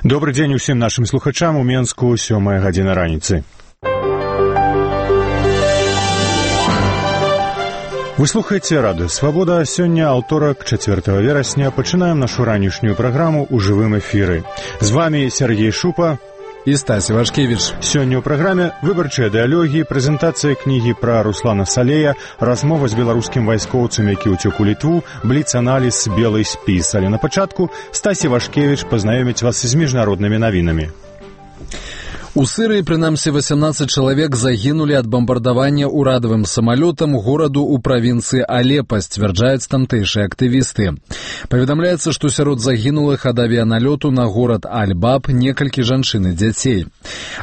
Добры дзень усім нашым слухачам. У Менску 7:00 раніцы. Вы слухаеце радыё «Свабода». Сёння, аўторак, 4 верасня, пачынаем нашу ранішнюю праграму ў жывым эфіры. З вами Сергей Шупа і Стась Івашкевіч. Сёння ў праграме выбарчыя дыялогі, прэзентацыя кнігі пра Руслана Салея, размова з беларускім вайскоўцам, які ўцёк у Літву, бліц-аналіз «Белый спіс». Але на пачатку Стась Івашкевіч пазнаёміць вас з міжнароднымі навінамі. У Сырыі, прынамсі, 18 чалавек загінулі ад бамбардавання ўрадавым самалётам гораду ў правінцыі Алепа, сцвярджаюць тамтэйшыя актывісты. Паведамляецца, што сярод загінулых ад авіяналёту на горад Аль-Баб некалькі жанчын і дзяцей.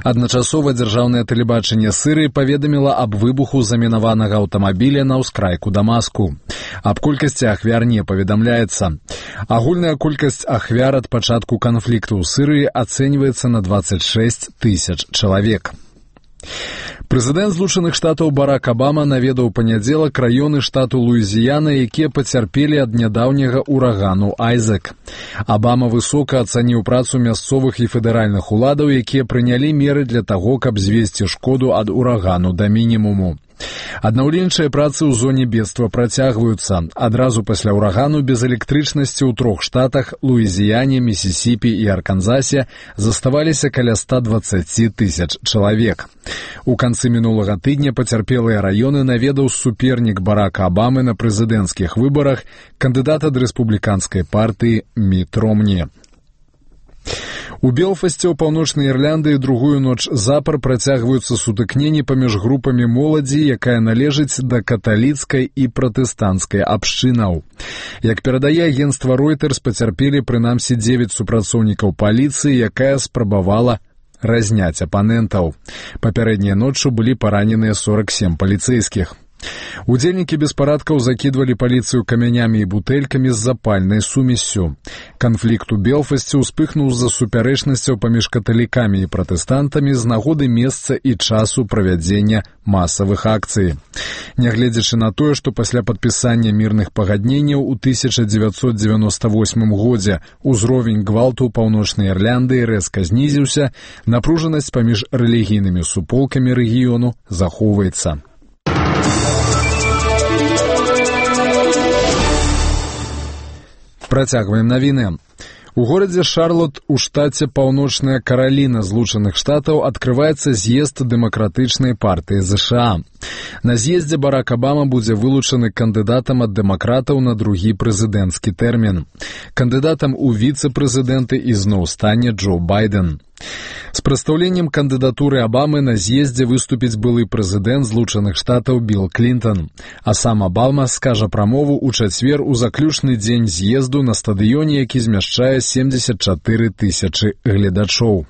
Адначасова дзяржаўнае тэлебачанне Сырыі паведаміла аб выбуху замінаванага аўтамабіля на ўскрайку Дамаску. Аб колькасці ахвяр не паведамляецца. Агульная колькасць ахвяр ад пачатку канфлікту ў Сырыі ацэньваецца на 26 000 чалавек. Прэзідэнт Злучаных Штатаў Барак Абама наведаў у панядзелак раёны штату Луізіяна, якія пацярпелі ад нядаўняга урагану Айзек. Абама высока ацаніў працу мясцовых і федэральных уладаў, якія прынялі меры для таго, каб звесці шкоду ад урагану да мінімуму. Аднаўленчыя працы ў зоне бедства працягваюцца. Адразу пасля ўрагану без электрычнасці ў 3 штатах – Луізіяне, Місісіпі і Арканзасе – заставаліся каля 120 000 чалавек. У канцы мінулага тыдня пацярпелыя раёны наведаў супернік Барака Абамы на прэзідэнцкіх выбарах, кандыдат ад рэспубліканскай партыі Міт Ромні. У Белфасце ў Паўночнай Ірландыі другую ноч запар працягваюцца сутыкненні паміж групамі моладзі, якая належыць да каталіцкай і пратэстанцкай абшчынаў. Як перадае агенцтва Reuters, пацярпелі прынамсі 9 супрацоўнікаў паліцыі, якая спрабавала разняць апанентаў. Папярэдняй ноччу былі параненыя 47 паліцэйскіх. Удзельнікі беспарадкаў закідвалі паліцыю камянямі і бутэлькамі з запальнай сумессю. Канфлікт у Белфасце ўспыхнуў з-за супярэчнасцяў паміж каталікамі і пратэстантамі з нагоды месца і часу правядзення масавых акцый. Нягледзячы на тое, што пасля падпісання мірных пагадненняў у 1998 годзе ўзровень гвалту ў Паўночнай Ірландыі рэзка знізіўся, напружанасць паміж рэлігійнымі суполкамі рэгіёну захоўваецца. Працягваем навіны. У горадзе Шарлот у штаце Паўночная Караліна Злучаных Штатаў адкрываецца з'езд дэмакратычнай партыі ЗША. На з'ездзе Барак Абама будзе вылучаны кандыдатам ад дэмакратаў на другі прэзідэнцкі тэрмін. Кандыдатам у віцэ-прэзідэнты ізноў стане Джо Байден. З прадстаўленнем кандыдатуры Абамы на з'ездзе выступіць былы прэзідэнт Злучаных Штатаў Білл Клінтон, а сам Абама скажа прамову ў чацвер у заключны дзень з'езду на стадыёне, які змяшчае 74 000 гледачоў.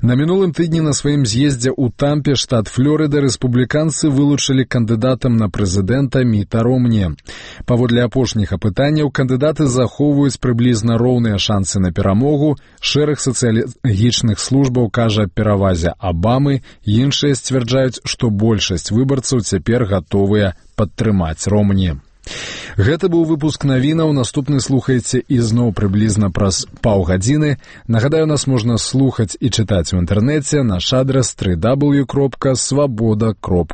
На мінулым тыдні на сваім з'ездзе ў Тампе, штат Флорыда, рэспубліканцы вылучылі кандыдатам на прэзідэнта Міта Ромні. Паводле апошніх апытанняў, кандыдаты захоўваюць прыблізна роўныя шансы на перамогу. Шэраг сацыялагічных службаў кажа аб перавазе Абамы, іншыя сцвярджаюць, што большасць выбарцаў цяпер гатовыя падтрымаць Ромні. Гэта быў выпуск навінаў, наступны слухайце ізноў прыблізна праз паўгадзіны. Нагадаю, нас можна слухаць і чытаць у інтэрнэце, наш адрас www.svoboda.org.